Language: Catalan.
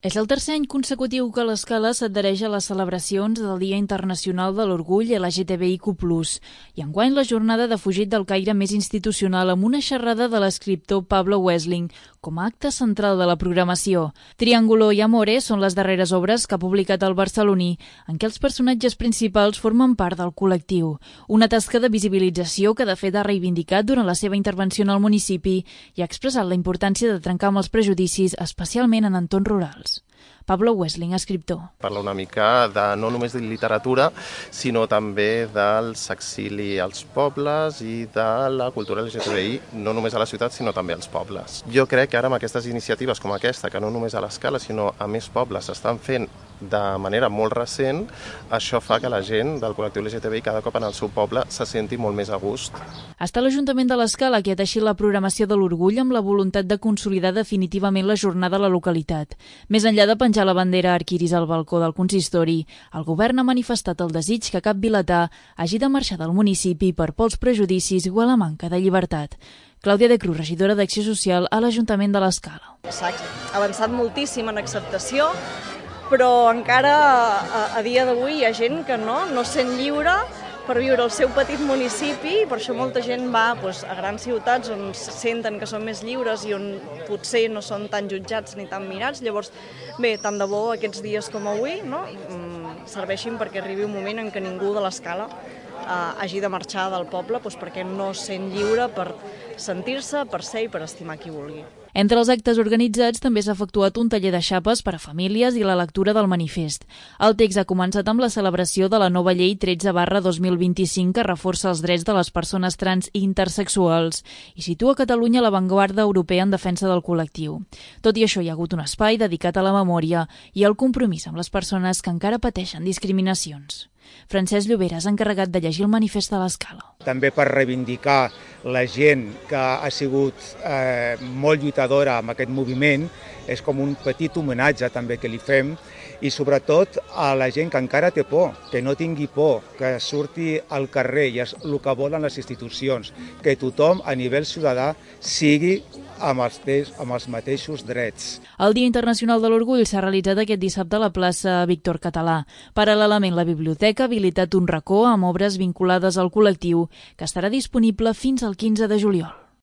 És el tercer any consecutiu que l'Escala s'adhereix a les celebracions del Dia Internacional de l'Orgull LGTBIQ+, i enguany la jornada ha defugit del caire més institucional amb una xerrada de l'escriptor Pablo Wessling com a acte central de la programació. Triángulo i Amore són les darreres obres que ha publicat el barceloní, en què els personatges principals formen part del col·lectiu. Una tasca de visibilització que de fet ha reivindicat durant la seva intervenció en el municipi i ha expressat la importància de trencar amb els prejudicis, especialment en entorns rurals. Pablo Wessling, escriptor. Parla una mica no només de literatura, sinó també del s'exili als pobles i de la cultura LGTBI, no només a la ciutat, sinó també als pobles. Jo crec que ara amb aquestes iniciatives com aquesta, que no només a l'Escala, sinó a més pobles s'estan fent de manera molt recent, això fa que la gent del col·lectiu LGTBI cada cop en el seu poble se senti molt més a gust. Ha estat l'Ajuntament de l'Escala qui ha teixit la programació de l'Orgull amb la voluntat de consolidar definitivament la jornada a la localitat. Més enllà de penjar la bandera arquiris al balcó del consistori, el govern ha manifestat el desig que cap vilatà hagi de marxar del municipi per pols prejudicis o a la manca de llibertat. Clàudia de Cruz, regidora d'Acció Social a l'Ajuntament de l'Escala. S'ha avançat moltíssim en acceptació, però encara a dia d'avui hi ha gent que no sent lliure per viure al seu petit municipi, i per això molta gent va a grans ciutats on senten que són més lliures i on potser no són tan jutjats ni tan mirats. Llavors, bé, tant de bo aquests dies com avui serveixin perquè arribi un moment en què ningú de l'Escala hagi de marxar del poble perquè no sent lliure per sentir-se, per ser i per estimar qui vulgui. Entre els actes organitzats també s'ha efectuat un taller de xapes per a famílies i la lectura del manifest. El text ha començat amb la celebració de la nova llei 13/2025 que reforça els drets de les persones trans i intersexuals i situa Catalunya a l'avantguarda europea en defensa del col·lectiu. Tot i això, hi ha hagut un espai dedicat a la memòria i al compromís amb les persones que encara pateixen discriminacions. Francesc Lloberes, encarregat de llegir el manifest de l'Escala. També per reivindicar la gent que ha sigut molt lluitadora amb aquest moviment, és com un petit homenatge també que li fem, i sobretot a la gent que encara té por, que no tingui por, que surti al carrer, i és el que volen les institucions, que tothom a nivell ciutadà sigui amb els mateixos drets. El Dia Internacional de l'Orgull s'ha realitzat aquest dissabte a la plaça Víctor Català. Paral·lelament, la biblioteca ha habilitat un racó amb obres vinculades al col·lectiu que estarà disponible fins al 15 de juliol.